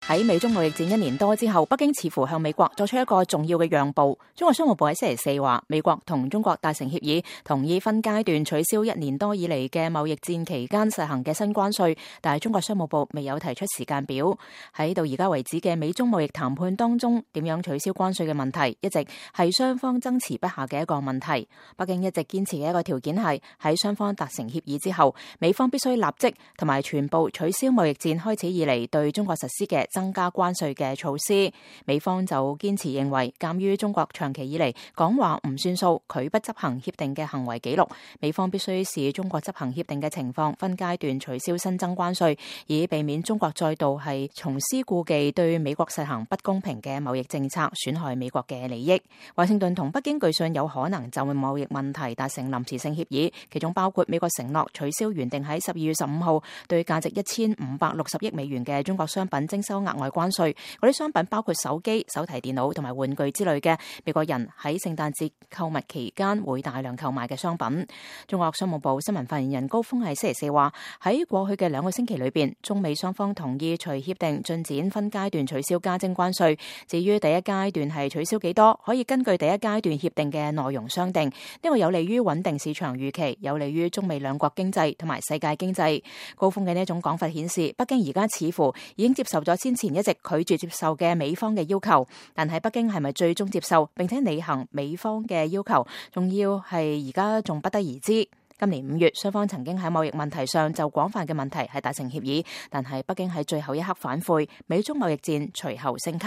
喺美中貿易戰1年多之後，北京似乎向美國作出一個重要嘅讓步。中國商務部喺星期四話，美國同中國達成協議，同意分階段取消1年多以嚟嘅貿易戰期間實行嘅新關稅，但係中國商務部未有提出時間表。喺到而家為止嘅美中貿易談判當中，點樣取消關稅嘅問題，一直係雙方爭持不下嘅一個問題。北京一直堅持嘅一個條件係喺雙方達成協議之後，美方必須立即同埋全部取消貿易戰開始以嚟對中國實施嘅增加關稅嘅措施。美方就堅持認為，鑒於中國長期以嚟講話唔算數、拒不執行協定嘅行為記錄，美方必須視中國執行協定嘅情況，分階段取消新增關稅，以避免中國再度係重施故技，對美國實行不公平嘅貿易政策，損害美國嘅利益。華盛頓同北京據信有可能就貿易問題達成臨時性協議，其中包括美國承諾取消原定喺12月15號對價值1560億美元嘅中國商品徵收額外關稅。嗰啲商品包括手機、手提電腦同埋玩具之類嘅美國人喺聖誕節購物期間會大量購買嘅商品。中國商務部新聞發言人高峰喺星期四話，喺過去嘅2個星期裏邊，中美雙方同意隨協定進展分階段取消加徵關稅。至於第一階段係取消幾多，可以根據第一階段協定嘅內容商定。呢個有利於穩定市場預期，有利於中美兩國經濟同埋世界經濟。高峰嘅呢種講法顯示，北京而家似乎已經接受咗先前一直拒絕接受嘅美方嘅要求，但係北京係咪最終接受並且履行美方嘅要求，仲要係而家仲不得而知。今年5月，雙方曾經喺貿易問題上就廣泛嘅問題係達成協議，但係北京喺最後一刻反悔，美中貿易戰隨後升級。